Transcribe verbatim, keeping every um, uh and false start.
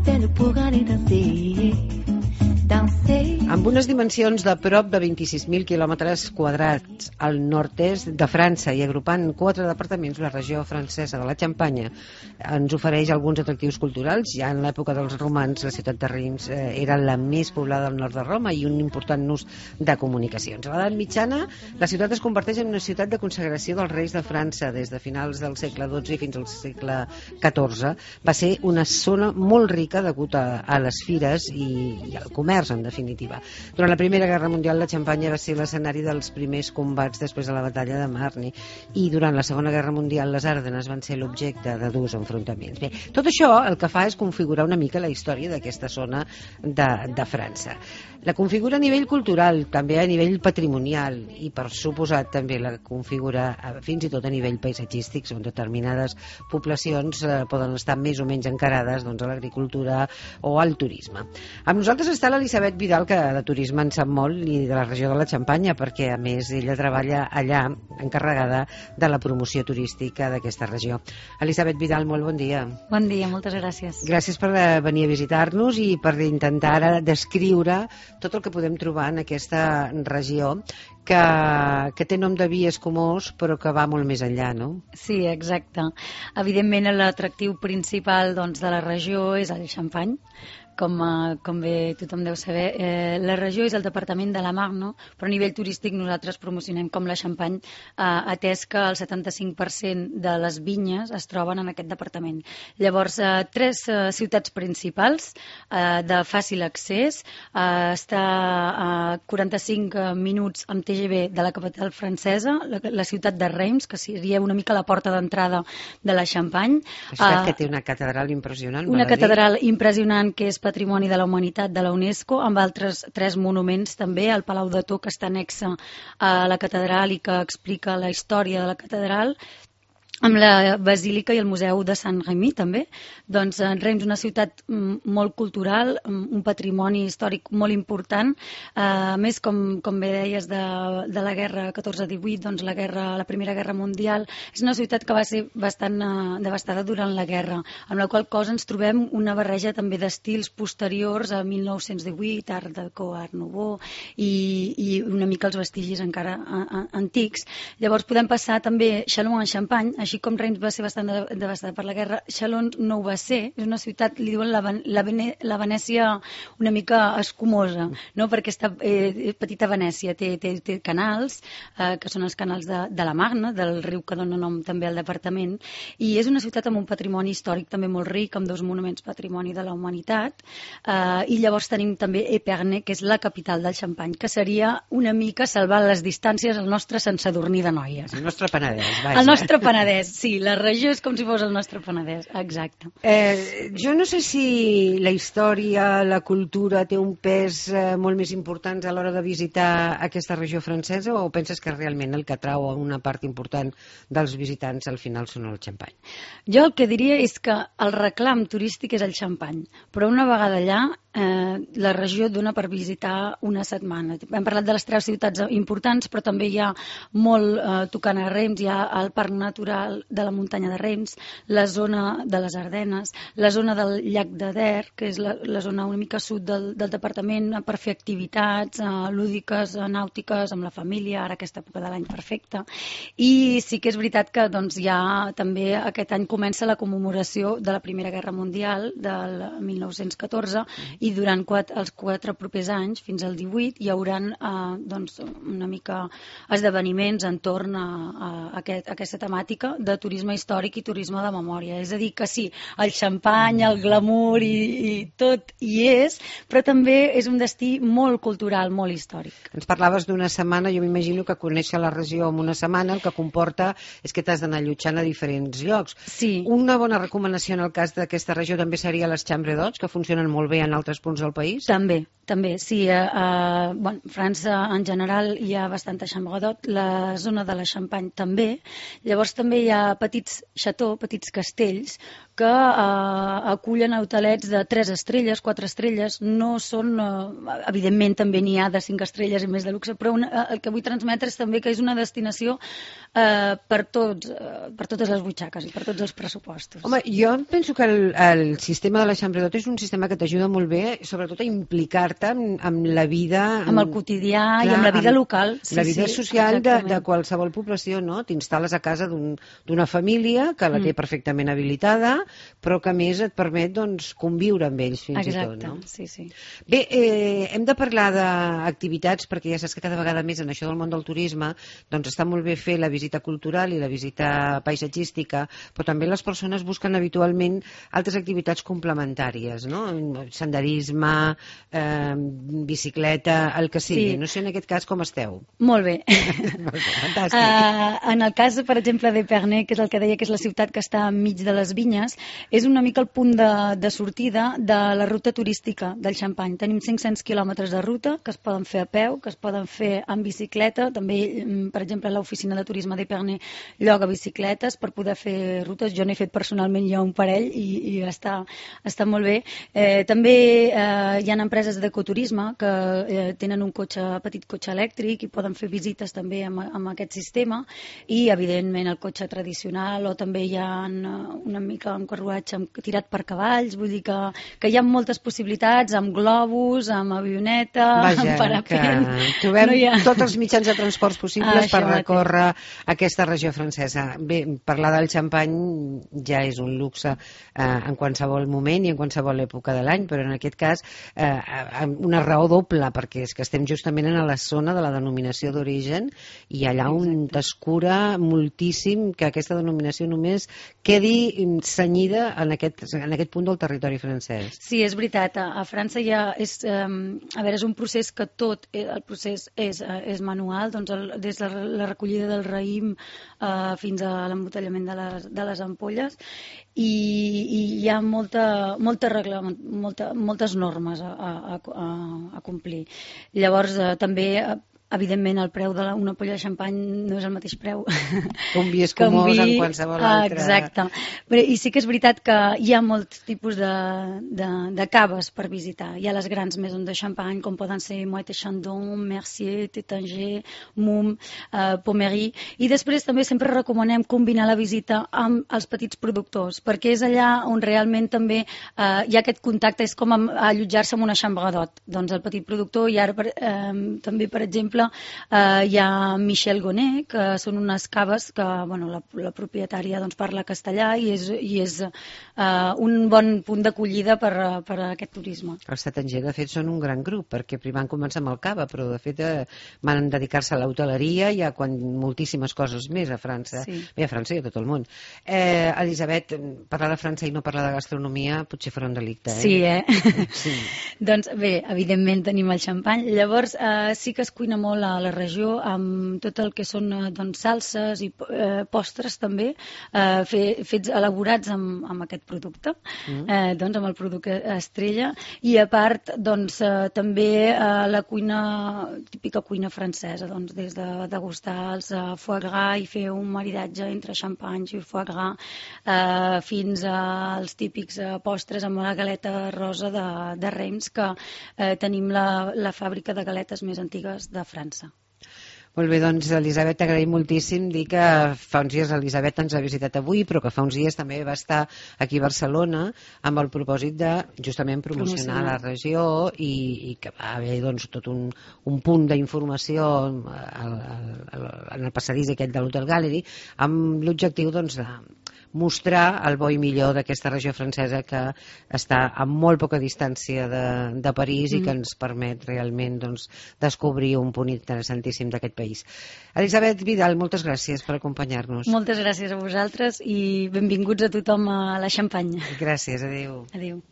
peine pour aller danser, danser. Amb unes dimensions de prop de vint-i-sis mil quilòmetres quadrats al nord-est de França i agrupant quatre departaments, la regió francesa de la Xampanya ens ofereix alguns atractius culturals. Ja en l'època dels romans, la ciutat de Reims eh, era la més poblada del nord de Roma i un important nus de comunicacions. A l'edat mitjana, la ciutat es converteix en una ciutat de consagració dels reis de França des de finals del segle dotze i fins al segle catorze. Va ser una zona molt rica degut a, a les fires i, i al comerç, en definitiva. Durant la Primera Guerra Mundial, la Xampanya va ser l'escenari dels primers combats després de la batalla de Marne, i durant la Segona Guerra Mundial les Ardenes van ser l'objecte de durs enfrontaments. Bé, tot això el que fa és configurar una mica la història d'aquesta zona de, de França. La configura a nivell cultural, també a nivell patrimonial, i per suposat també la configura fins i tot a nivell paisatgístic, on determinades poblacions eh, poden estar més o menys encarades doncs, a l'agricultura o al turisme. Amb nosaltres està l'Elisabet Vidal, que de turisme en sap molt, i de la regió de la Xampanya, perquè a més ella treballa allà encarregada de la promoció turística d'aquesta regió. Elisabet Vidal, molt bon dia. Bon dia, moltes gràcies. Gràcies per venir a visitar-nos i per intentar ara descriure tot el que podem trobar en aquesta regió que, que té nom de vi escumós però que va molt més enllà, no? Sí, exacte. Evidentment l'atractiu principal doncs, de la regió és el xampany. Com, com bé tothom deu saber, eh, la regió és el departament de la Marne, però a nivell turístic nosaltres promocionem com la Xampany, eh, atès que el setanta-cinc per cent de les vinyes es troben en aquest departament. Llavors, eh, tres eh, ciutats principals eh, de fàcil accés, eh, està a quaranta-cinc minuts amb T G V de la capital francesa, la, la ciutat de Reims, que seria una mica la porta d'entrada de la Xampany. La ciutat eh, que té una catedral impressionant. Una catedral impressionant que és Patrimoni de la Humanitat de la UNESCO, amb altres tres monuments també, el Palau de Tor, que està anexa a la catedral i que explica la història de la catedral, amb la Basílica i el Museu de Sant Remi també. Doncs Reims, una ciutat molt cultural, un patrimoni històric molt important. A més, com, com bé deies, de, de la guerra catorze divuit, doncs la, guerra, la Primera Guerra Mundial, és una ciutat que va ser bastant uh, devastada durant la guerra, amb la qual cosa ens trobem una barreja també d'estils posteriors a mil nou-cents divuit, Art Deco, Art Nouveau, i, i una mica els vestigis encara a, a, antics. Llavors podem passar també Châlons-en-Champagne, així com Reims va ser bastant devastada per la guerra, Chalons no ho va ser. És una ciutat, li diuen la, la, la Venècia una mica escumosa, no? Perquè està eh, petita Venècia, té, té, té canals, eh, que són els canals de, de la Marne, del riu que dona nom també al departament, i és una ciutat amb un patrimoni històric també molt ric, amb dos monuments patrimoni de la humanitat, eh, i llavors tenim també Épernay, que és la capital del Xampany, que seria una mica salvar les distàncies el nostre Sant Sadurní d'Anoia. El nostre Penedès, vaja. El nostre Penedès. Sí, la regió és com si fos el nostre Penedès, exacte. Eh, jo no sé si la història, la cultura té un pes eh, molt més important a l'hora de visitar aquesta regió francesa, o penses que realment el que atrau a una part important dels visitants al final són el xampany? Jo el que diria és que el reclam turístic és el xampany, però una vegada allà eh, la regió dona per visitar una setmana. Hem parlat de les tres ciutats importants, però també hi ha molt eh, tocant a Reims, hi ha el Parc Natural de la muntanya de Reims, la zona de les Ardenes, la zona del llac de Der, que és la, la zona una mica sud del, del departament, per fer activitats eh, lúdiques, eh, nàutiques, amb la família, ara aquesta època de l'any perfecta. I sí que és veritat que doncs, ja també aquest any comença la commemoració de la Primera Guerra Mundial del mil nou-cents catorze, i durant quatre, els quatre propers anys, fins al divuit, hi haurà eh, doncs, una mica esdeveniments entorn a, a, a, aquest, a aquesta temàtica de turisme històric i turisme de memòria. És a dir, que sí, el xampany, el glamour i, i tot hi és, però també és un destí molt cultural, molt històric. Ens parlaves d'una setmana, jo m'imagino que conèixer la regió en una setmana el que comporta és que t'has d'anar allotjant a diferents llocs. Sí. Una bona recomanació en el cas d'aquesta regió també seria les Chambre d'Hôtes, que funcionen molt bé en altres punts del país? També. També, sí. A, a bueno, França en general hi ha bastanta chambre d'hôtes, la zona de la Xampany també. Llavors també hi ha petits xató, petits castells, que eh, acullen hotelets de tres estrelles, quatre estrelles, no són, eh, evidentment també n'hi ha de cinc estrelles i més de luxe, però una, el que vull transmetre és també que és una destinació eh, per, tots, eh, per totes les butxaques i per tots els pressupostos. Home, jo penso que el, el sistema de la Chambre d'Hôte és un sistema que t'ajuda molt bé, sobretot a implicar-te amb, amb la vida... Amb el quotidià clar, i amb la vida amb local. Sí, la vida sí, social de, de qualsevol població, no? T'instal·les a casa d'una un, família que la té mm. perfectament habilitada, però que a més et permet doncs, conviure amb ells fins Exacte, i tot. No? Sí, sí. Bé, eh, hem de parlar d'activitats, perquè ja saps que cada vegada més en això del món del turisme doncs està molt bé fer la visita cultural i la visita paisatgística, però també les persones busquen habitualment altres activitats complementàries, no? Senderisme, eh, bicicleta, el que sigui. Sí. No sé en aquest cas com esteu. Molt bé. Molt bé, fantàstic. Uh, en el cas, per exemple, d'Épernay, que és el que deia que és la ciutat que està enmig de les vinyes, és una mica el punt de, de sortida de la ruta turística del Xampany. Tenim cinc-cents quilòmetres de ruta que es poden fer a peu, que es poden fer en bicicleta. També, per exemple, l'oficina de turisme d'Épernay lloga bicicletes per poder fer rutes. Jo n'he fet personalment ja un parell i, i està, està molt bé. Eh, també eh, hi ha empreses d'ecoturisme que eh, tenen un cotxe, petit cotxe elèctric i poden fer visites també amb, amb aquest sistema i, evidentment, el cotxe tradicional, o també hi ha una mica un carruatge tirat per cavalls, vull dir que, que hi ha moltes possibilitats, amb globus, amb avioneta, Vaja, amb parapent... que trobem no ha... tots els mitjans de transports possibles ah, per recórrer aquesta regió francesa. Bé, parlar del xampany ja és un luxe eh, en qualsevol moment i en qualsevol època de l'any, però en aquest cas eh, una raó doble, perquè és que estem justament en la zona de la denominació d'origen i allà on t'escura moltíssim que aquesta denominació només quedi cenyida en aquest, en aquest punt del territori francès. Sí, és veritat. A, a França ja és, eh, a veure, és un procés que tot, el procés és, és manual, doncs el, des de la recollida del raïm eh, fins a l'embotellament de les, de les ampolles, i, i hi ha molta, molta regla, molta, moltes normes a, a, a, a complir. Llavors, eh, també... Evidentment, el preu d'una ampolla de xampany no és el mateix preu que un vi escumós vi... en qualsevol altre. Exacte. Però, i sí que és veritat que hi ha molts tipus de, de, de caves per visitar. Hi ha les grans maisons de xampany, com poden ser Moët et Chandon, Mercier, Tétinger, Mumm, eh, Pommery. I després també sempre recomanem combinar la visita amb els petits productors, perquè és allà on realment també eh, hi ha aquest contacte, és com allotjar-se en una xambradot. Doncs el petit productor, i ara per, eh, també, per exemple, Uh, hi ha Michel Gonnet, que són unes caves que bueno, la, la propietària doncs, parla castellà i és, i és uh, un bon punt d'acollida per, per a aquest turisme. Els Tétinger, de fet, són un gran grup, perquè primer van començar amb el cava, però de fet eh, van dedicar-se a l'hoteleria i a quan, moltíssimes coses més a França. Sí. Bé, a França i a tot el món. Eh, Elisabet, parlar de França i no parlar de gastronomia potser farà un delicte, eh? Sí, eh? Sí. Doncs bé, evidentment tenim el xampany. Llavors, eh, sí que es cuina molt a la regió amb tot el que són doncs, salses i eh, postres també eh, fe, fets elaborats amb, amb aquest producte, mm. eh, doncs amb el producte estrella, i a part doncs, eh, també eh, la cuina, típica cuina francesa, doncs, des de degustar els eh, foie gras i fer un maridatge entre xampanys i foie gras eh, fins als típics eh, postres amb la galeta rosa de, de Reims, que eh, tenim la, la fàbrica de galetes més antigues de França. Molt bé, doncs, Elisabet, t'agraïm moltíssim dir que fa uns dies l'Elisabet ens ha visitat avui, però que fa uns dies també va estar aquí a Barcelona amb el propòsit de justament promocionar, promocionar. la regió i, i que va haver doncs, tot un, un punt d'informació al, al, en el passadís aquest de l'Hotel Gallery amb l'objectiu doncs, de mostrar el bo i millor d'aquesta regió francesa que està a molt poca distància de, de París mm. i que ens permet realment doncs, descobrir un punt interessantíssim d'aquest país. Elisabet Vidal, moltes gràcies per acompanyar-nos. Moltes gràcies a vosaltres i benvinguts a tothom a la Xampanya. Gràcies, adéu. Adéu.